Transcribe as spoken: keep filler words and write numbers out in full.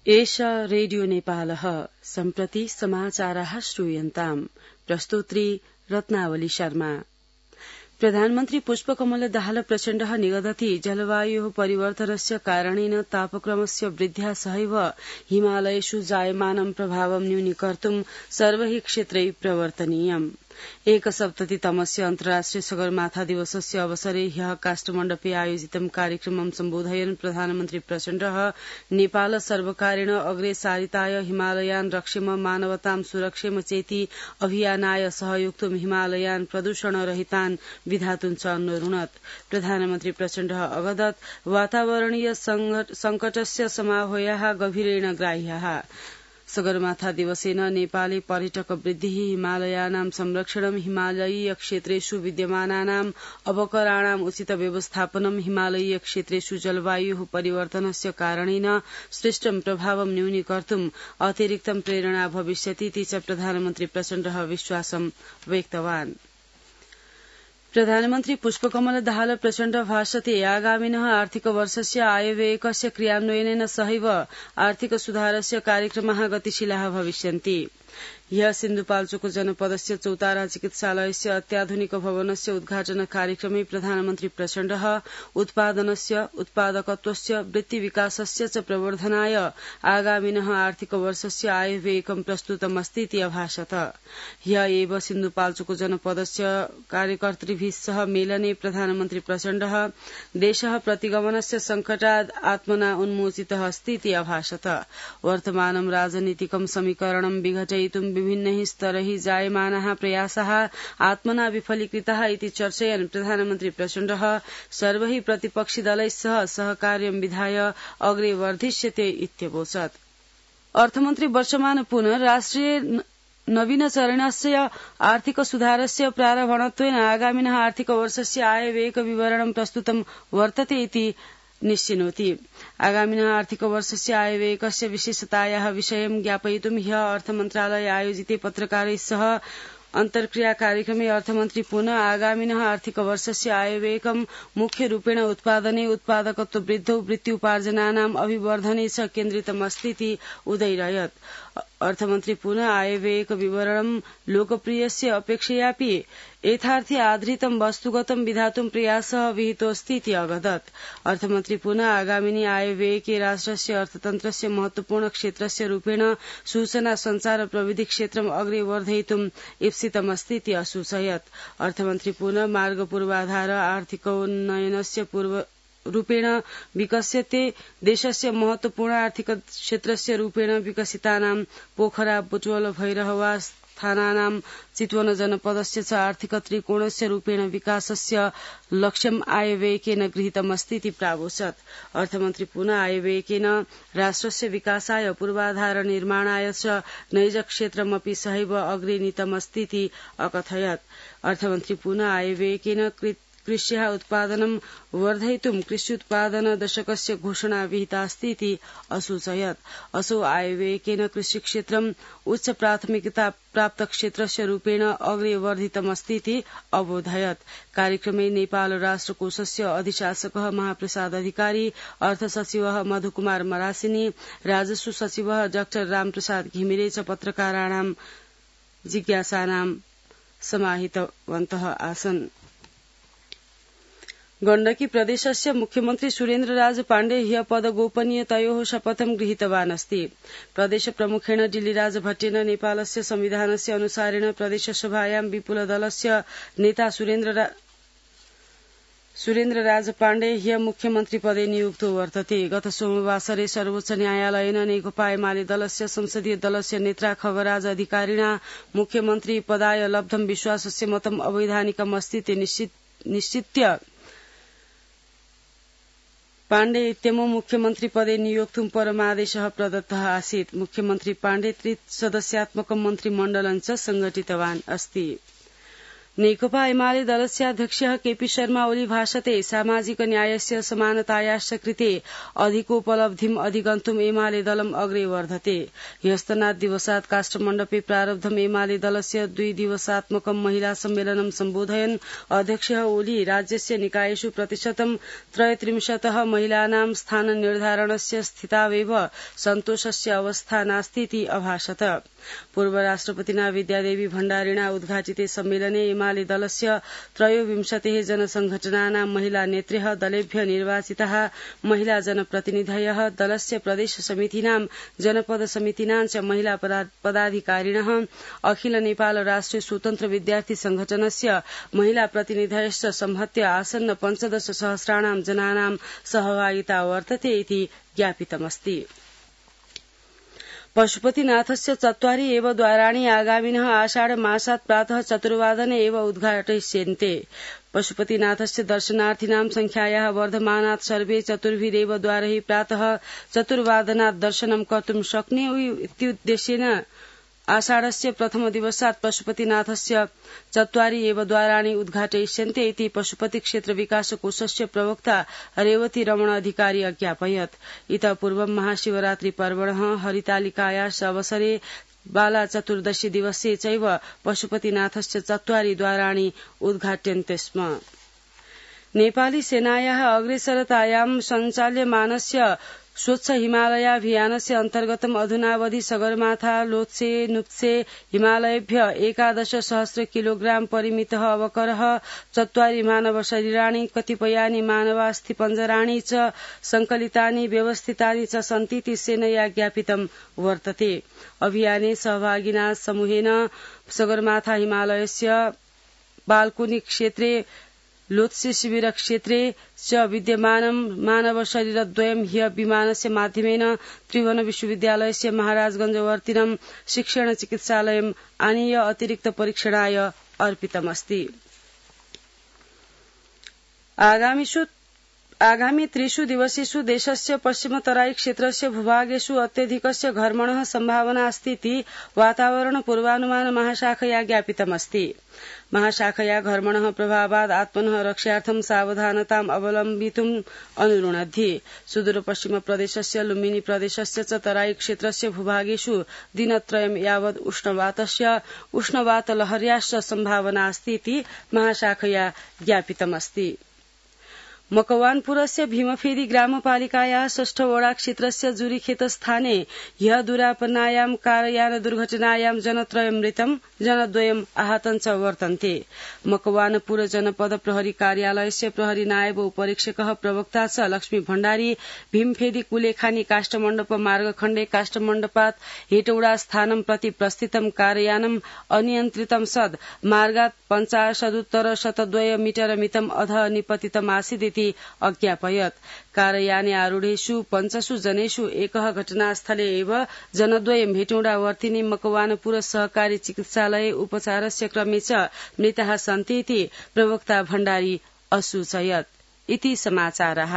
एषा रेडियो नेपालः सम्प्रति समाचाराः श्रूयन्ताम् प्रस्तोत्री रत्नावली शर्मा। प्रधानमन्त्री पुष्पकमल दाहाल प्रचण्डः निगदति जलवायोः परिवर्तनस्य कारणेन तापक्रमस्य वृद्ध्या सहैव हिमालयेषु जायमानं प्रभावं न्यूनीकर्तुं सर्वैः क्षेत्रैः प्रवर्तनीयम्। एकसप्ततितमस्य अन्तर्राष्ट्रिय सगरमाथा दिवसस्य अवसरे ह्यः काष्ठमण्डपे आयोजितं कार्यक्रमं सम्बोधयन् प्रधानमन्त्री प्रचण्डः नेपाल सर्वकारेण अग्रे सारिताय हिमालयान् रक्षेम मानवतां सुरक्षेम चेति अभियानाय सहयोक्तुं हिमालयान् प्रदूषणरहितान् विधातुं च अनुरुणत्। प्रधानमन्त्री प्रचण्डः अवदत् वातावरणीय संकटस्य समाह्वयः गभीरेण ग्राह्यः। सगरमाथा दिवसेन नेपाले पर्यटक वृद्धिः हिमालयानां संरक्षणं हिमालयीय क्षेत्रेषु विद्यमानानाम् अवकराणाम् उचित व्यवस्थापनं हिमालयीय क्षेत्रेषु जलवायुः परिवर्तनस्य कारणेन सृष्टं प्रभावं न्यूनीकर्तुम् अतिरिक्तं प्रेरणा भविष्यति इति च प्रधानमन्त्री प्रचण्डः विश्वासं व्यक्तवान्। प्रधानमन्त्री पुष्पकमल दाहाल प्रचण्ड भाषते आगामिनः आर्थिकवर्षस्य आयव्ययकस्य क्रियान्वयनेन सहैव आर्थिक सुधारस्य कार्यक्रमाः गतिशीलाः भविष्यन्ति। ह्यः सिन्धुपाल्चोक जनपदस्य चौतारा चिकित्सालयस्य अत्याधुनिक भवनस्य उद्घाटन कार्यक्रमे प्रधानमन्त्री प्रचण्डः उत्पादनस्य उत्पादकत्वस्य वृत्तिविकासस्य च प्रवर्धनाय आगामिनः आर्थिकवर्षस्य आयव्ययकं प्रस्तुतमस्ति इति अभाषत। ह्यः एव सिन्धुपाल्चोक जनपदस्य कार्यकर्तृभिः सह मेलने प्रधानमन्त्री प्रचण्डः देशः प्रतिगमनस्य संकटाद् आत्मना उन्मोचितः अस्ति इति अभाषत। वर्तमानं राजनीतिकं समीकरणं विघटयितुं विभिन्नैः स्तरैः जायमानाः प्रयासाः आत्मना विफलीकृताः इति चर्चयन् प्रधानमन्त्री प्रचण्डः सर्वैः प्रतिपक्षिदलैः सह सहकार्यं विधाय अग्रे वर्धिष्यते इत्यवोचत्। अर्थमन्त्री वर्षमान पुनः राष्ट्रिय नवीनचरणस्य आर्थिक सुधारस्य प्रारम्भत्वेन आगामिनः आर्थिकवर्षस्य आयव्ययक विवरणं प्रस्तुतं वर्तते इति निश्चिनोति। आगामिनः आर्थिकवर्षस्य आयव्ययकस्य विशेषतायाः विषयं ज्ञापयितुं ह्यः अर्थमन्त्रालये आयोजिते पत्रकारैः सह अन्तर्क्रिया कार्यक्रमे अर्थमन्त्री पुनः आगामिनः आर्थिकवर्षस्य आयव्ययकं मुख्यरूपेण उत्पादने उत्पादकत्व वृद्धौ वृत्त्युपार्जनानाम् अभिवर्धने च केन्द्रितमस्ति इति उदैरयत्। अर्थमन्त्री पुनः आयव्ययक विवरणं लोकप्रियस्य अपेक्षयापि यथार्थे आधारितं वस्तुगतं विधातुं प्रयासः विहितोऽस्ति इति अवदत्। अर्थमन्त्री पुनः आगामिनी आयव्ययके राष्ट्रस्य अर्थतन्त्रस्य महत्वपूर्ण क्षेत्रस्य रूपेण सूचना संचार प्रविधि क्षेत्रम् अग्रे वर्धयितुं ईप्सितमस्ति इति असूचयत्। अर्थमन्त्री पुनः मार्ग पूर्वाधार आर्थिकोन्नयनस्य पूर्व रूपेण विकस्यते देशस्य महत्वपूर्ण आर्थिक क्षेत्रस्य रूपेण विकसितानां पोखरा बुटवल भैरहवा स्थानानां चितवन जनपदस्य च आर्थिक त्रिकोणस्य रूपेण विकासस्य लक्ष्यम् आयव्ययकेन गृहीतमस्ति इति प्रावोचत्। अर्थमन्त्री पुनः आयव्ययकेन राष्ट्रस्य विकासाय पूर्वाधार निर्माणाय च नैज क्षेत्रमपि सहैव अग्रे नीतमस्ति इति अकथयत्। अर्थमन्त्री पुनः आयव्ययकेन कृष्याः उत्पादनं वर्धयितुं कृष्युत्पादन दशकस्य घोषणा विहिता अस्ति इति असूचयत्। असौ आयव्ययकेन कृषिक्षेत्रम् उच्च प्राथमिकता प्राप्त क्षेत्रस्य रूपेण अग्रे वर्धितमस्ति इति अबोधयत्। कार्यक्रमे नेपाल राष्ट्रकोषस्य अधिशासकः महाप्रसाद अधिकारी, अर्थसचिवः मधुकुमार मरासिनी, राजस्व सचिवः डाक्टर रामप्रसाद घिमिरे च पत्रकाराणां जिज्ञासानां समाहितवन्तः आसन्। गण्डकी प्रदेशस्य मुख्यमन्त्री सुरेन्द्रराज पाण्डे ह्यः पदगोपनीयतयोः शपथं गृहीतवान् अस्ति। प्रदेश प्रमुखेण डिल्लीराज भट्टेन नेपालस्य संविधानस्य अनुसारेण प्रदेशसभायां विपुलदलस्य नेता सुरेन्द्र सुरेन्द्रराज पाण्डे ह्यः मुख्यमन्त्री पदे नियुक्तो वर्तते। गत सोमवासरे सर्वोच्च न्यायालयेन नेकपा एमाले दलस्य संसदीय दलस्य नेता खगराज अधिकारिणा मुख्यमन्त्री पदाय लब्धं विश्वासस्य मतम् अवैधानिकम् अस्ति इति निश्चित्य पाण्डे इत्यमुं मुख्यमन्त्री पदे नियोक्तुं परमादेशः प्रदत्तः आसीत्। मुख्यमन्त्री पाण्डे त्रिसदस्यात्मकं मन्त्रिमण्डलं च संघटितवान् अस्ति। नेकपा एमाले दलस्य अध्यक्षः केपी शर्मा ओली भाषते सामाजिक न्यायस्य समानतायाश्च कृते अधिकोपलब्धिम् अधिगन्तुम् एमाले दलम् अग्रे वर्धते ह्यस्तनात् दिवसात् काष्ठमण्डपे प्रारब्धम् एमाले दलस्य द्वि दिवसात्मकं महिला सम्मेलनं सम्बोधयन् अध्यक्षः ओली राज्यस्य निकायेषु प्रतिशतं त्रयत्रिंशतः महिलानां स्थाननिर्धारणस्य स्थितावेव सन्तोषस्य अवस्था नास्तीति अभाषत पूर्व राष्ट्रपतिना विद्यादेवी भण्डारिणा उद्घाटिते सम्मेलने एमाले दलस्य त्रयोविंशतिः जनसंघटनानां महिला नेत्र्यः दलेभ्य निर्वाचिताः महिला जनप्रतिनिधयः दलस्य प्रदेश समितीनां जनपद समितीनां च महिला पदाधिकारिणः अखिल नेपाल राष्ट्रिय स्वतन्त्र विद्यार्थी संघटनस्य महिला प्रतिनिधयश्च संहत्य आसन्न पञ्चदश सहस्राणां जनानां सहभागिता वर्तते इति ज्ञापितमस्ति। पशुपतिनाथस्य चत्वारि एव द्वाराणि आगामिनः आषाढ मासात् प्रातः चतुर्वादने एव उद्घाटयिष्यन्ते। पशुपतिनाथस्य दर्शनार्थिनां संख्यायाः वर्धमानात् सर्वे चतुर्भिरेव द्वारैः प्रातः चतुर्वादनात् दर्शनं कर्तुं शक्नुयुः इत्युद्देश्येन आषाढस्य प्रथम दिवसात् पशुपतिनाथस्य चत्वारि एव द्वाराणि उद्घाटयिष्यन्ते इति पशुपति क्षेत्र विकास कोषस्य प्रवक्ता रेवती रमण अधिकारी अज्ञापयत्। इतः पूर्वं महाशिवरात्रि पर्वणः हरितालिकायाः अवसरे बाला चतुर्दशी दिवसे चैव पशुपतिनाथस्य चत्वारि द्वाराणि उद्घाट्यन्ते स्म। नेपाली सेनायाः अग्रेसरतायां सञ्चाल्यमानस्य स्वच्छ हिमालयाभियानस्य अन्तर्गतम् अधुनावधि सगरमाथा लोत्से नुत्से हिमालयेभ्य एकादश सहस्र किलोग्राम परिमितः अवकरः चत्वारि मानव शरीराणि कतिपयानि मानवास्थिपञ्जराणि च संकलितानि व्यवस्थितानि च सन्तीति सेनया ज्ञापितं वर्तते। अभियाने सहभागिना समूहेन सगरमाथा हिमालयस्य बाल्कोनी क्षेत्रे लोत्से शिबिर क्षेत्रे च विद्यमानं मानव शरीरद्वयं ह्य विमानस्य माध्यमेन त्रिभुवन विश्वविद्यालयस्य महाराजगंजवर्तिनं शिक्षण चिकित्सालयम् आनीय अतिरिक्त परीक्षणाय अर्पितमस्ति। आगामिषु आगामी त्रिषु दिवसेषु देशस्य पश्चिमतराई क्षेत्रस्य भूभागेषु अत्यधिकस्य घर्मणः सम्भावना अस्ति इति वातावरण पूर्वानुमान महाशाखया ज्ञापितमस्ति। महाशाखया घर्मणः प्रभावात् आत्मनः रक्षार्थं सावधानताम् अवलम्बितुम् अनुरुणद्धि। सुदूर पश्चिम प्रदेशस्य लुम्बिनी प्रदेशस्य च तराई क्षेत्रस्य भूभागेषु दिनत्रयं यावत् उष्णवातस्य उष्णवातलहर्याश्च सम्भावना अस्ति इति महाशाखया ज्ञापितमस्ति। मकवानपुरस्य भीमफेदी ग्रामपालिकायाः षष्ठ वडा क्षेत्रस्य जुरीखेत स्थाने ह्यः दुरापन्नायां कारयान दुर्घटनायां जनत्रयं मृतं जनद्वयम् आहतं च वर्तन्ते। मकवानपुर जनपद प्रहरी कार्यालयस्य प्रहरी नायब उपरीक्षकः प्रवक्ता च लक्ष्मी भण्डारी भीमफेदी कुलेखानी काष्ठमण्डप मार्गखण्डे काष्ठमण्डपात् हेटौडा स्थानं प्रति प्रस्थितं कारयानम् अनियन्त्रितं सद् मार्गात् पञ्चाशदुत्तर शतद्वय मीटर मितम् अधः निपतितमासीदिति अज्ञापयत्। कारयाने आरूढेषु पञ्चसु जनेषु एकः घटनास्थले एव जनद्वयं भेटौडा वर्तिनी मकवानपुर सहकारी चिकित्सालये उपचारस्य क्रमे च मृताः सन्ति इति प्रवक्ता भण्डारी असूचयत्। इति समाचारः।